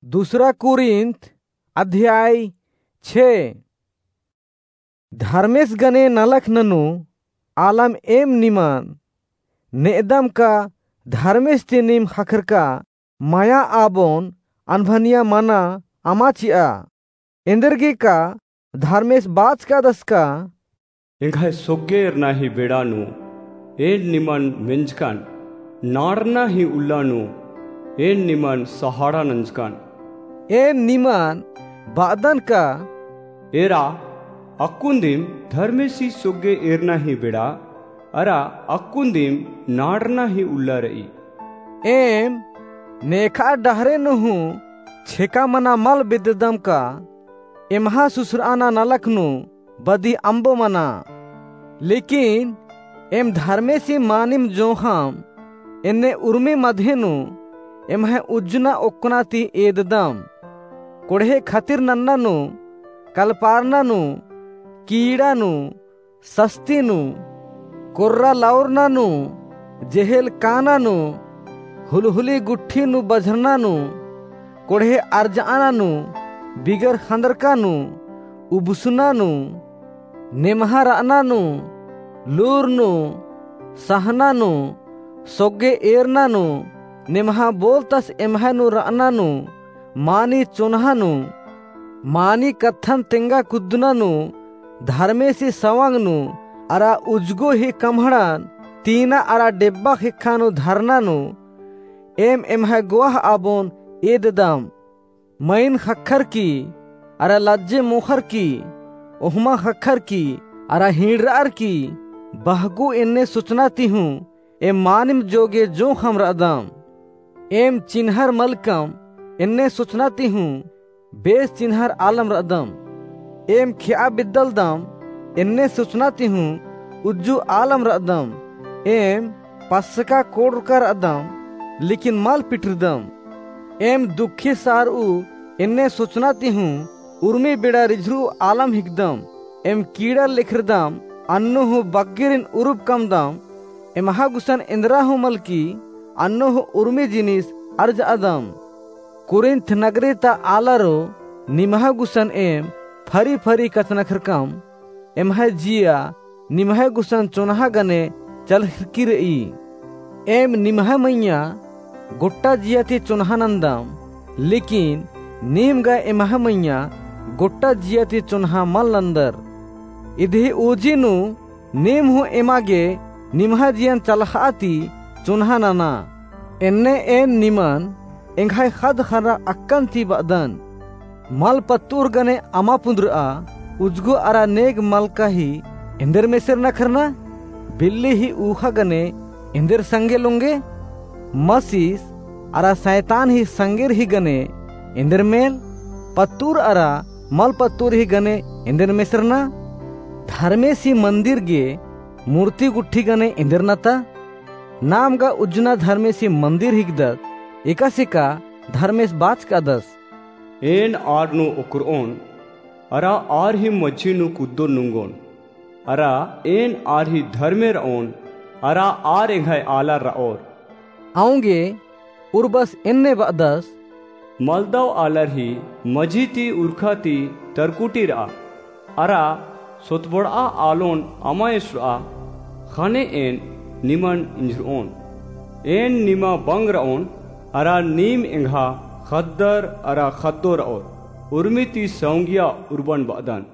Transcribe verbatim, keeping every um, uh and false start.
दूसरा कुरिन्थ अध्याय छे। धर्मेस गने नलख ननू आलम एम निमन नेदम का धर्मेस ती नीम ख़क्खरका मया आबोन अनभनिया मना अमा चिआ। एन्देरगे का धर्मेस बाचकादस का, एंग्है सोग्गे एरना ही बेड़ा नू एन निमन मेंजकन, नाड़ना ही उल्ला नू एन निमन सहाड़ा नंजकन। एम निमन बअदन का, एरा अक्कुन दिम धर्मेसी सोग्गे एरना ही बेड़ा, अरा अक्कुन दिम नाड़ना ही उल्ला रई। एम नेखा डहरे नू हूँ छेका मना मल बेद्ददम का एम्हा सुसराना नलख नू बदी अम्बो मना। लेकिन एम धर्मेसी मानिम जोंख़म एन्ने उर्मी मधे नू एम्है उज्जना ओक्कना ती एददम। कोड़हे खतिर नन्ना नू, कलपारना नू, कीड़ा नू, सस्ती नू, कोर्रा लौरना नू, जेहेल काना नू, हुलहुली गुट्ठी नू बझरना नू, कोड़हे अरजअना नू, बिगर ख़न्दरका नू, उबसना नू, नेम्हा रअना नू, लूर नू, सहना नू, सोग्गे एरना नू, नेम्हा बोलतस एम्है नू रअना नू, मानी चोन्हा नू, मानी कत्थन तेंगा कुद्दना नू, धर्मेसी सवंग नू, अरा उज्जगो ही कम्हड़न तीना अरा डेब्बा ख़ेक्खा नू धरना नू, एम एम्है गोह आबोन एददम। मइन ख़क्खरकी, अरा लज्जे मोख़रकी, ओहमा ख़क्खरकी, अरा हिंड़रअरकी, बहगु एन्ने सोचना ती हूँ एम मानिम जोगे जोंख़म रअदम। एम चिन्हर मलकम एन्ने सोचना ती हूँ बेस चिन्हर आलम रअदम। एम खेआ बिद्दलदम एन्ने सोचना ती हूँ उज्जु आलम रअदम। एम पसका कोड़रका रअदम, लेकिन मल पिटरदम। एम दुखी सारऊ एन्ने सोचना ती हूँ उर्मी बेड़ा रिझरू आलम हिकदम। एम कीड़ा लेखरदम, अन्नु हूँ बग्गेरिन उरुब कमदम। एम्हा गुसन एन्दरा हूँ मलकी, अन्नु हूँ उर्मी जिनिस अरजअदम। कुरिन्थ नगरी ता आलारो निम्है गुसन एम फरी फरी कछनखरकम। एम्है जिया निम्है गुसन चोन्हा गने चलखरकी रई। एम निम्है मइय्याँ गोट्टा जिया ती चोन्हा नन्दम, लेकिन नीम गा एम्है मइय्याँ गोट्टा जिया ती चोन्हा मल नन्दर। इदी उजी नू नीम हूँ एमा गे निम्है जियन चलख़ा ती चोन्हा नना। एन्ने एन निमन एंग्है ख़द्द ख़र्रा अक्कन ती बअदन। मल पत्तुर गने अमा पुन्दरआ, उज्जगो अरा नेग मलका ही एन्देर मेसेर नखरना? बिल्ली ही ऊख़ा गने एन्देर संगे लोंगे? मसीस अरा सैतान ही संगेर ही गने एन्देर मेल? पत्तुर अरा मल पत्तुर ही गने एन्देर मेसरना? धर्मेसी मन्दिर गे मूर्ति गुट्ठी गने एन्देर नता? नाम गा उज्जना धर्मेसी मन्दिर हिकदत, एकासे का धर्मेस बाचकादस। एन आर नू ओक्करओन, अरा आर ही मझी नू कुद्दो नुंगोन, अरा एन आर ही धर्मे रओन, अरा आर एंग्है आलर रओर। औंगे उर्बस एन्ने बअदस। मलदव आलर ही मझी ती उरखा ती तरकुटी रआ, अरा सोतबड़आ आलोन अमा एसरआ, ख़ने एन निमन इंझरओन। एन निमा बंग रओन, अरा नीम एंग्हा ख़द्दर अरा ख़द्दो रओर। उर्मी ती सौंगिया उर्बन बअदन।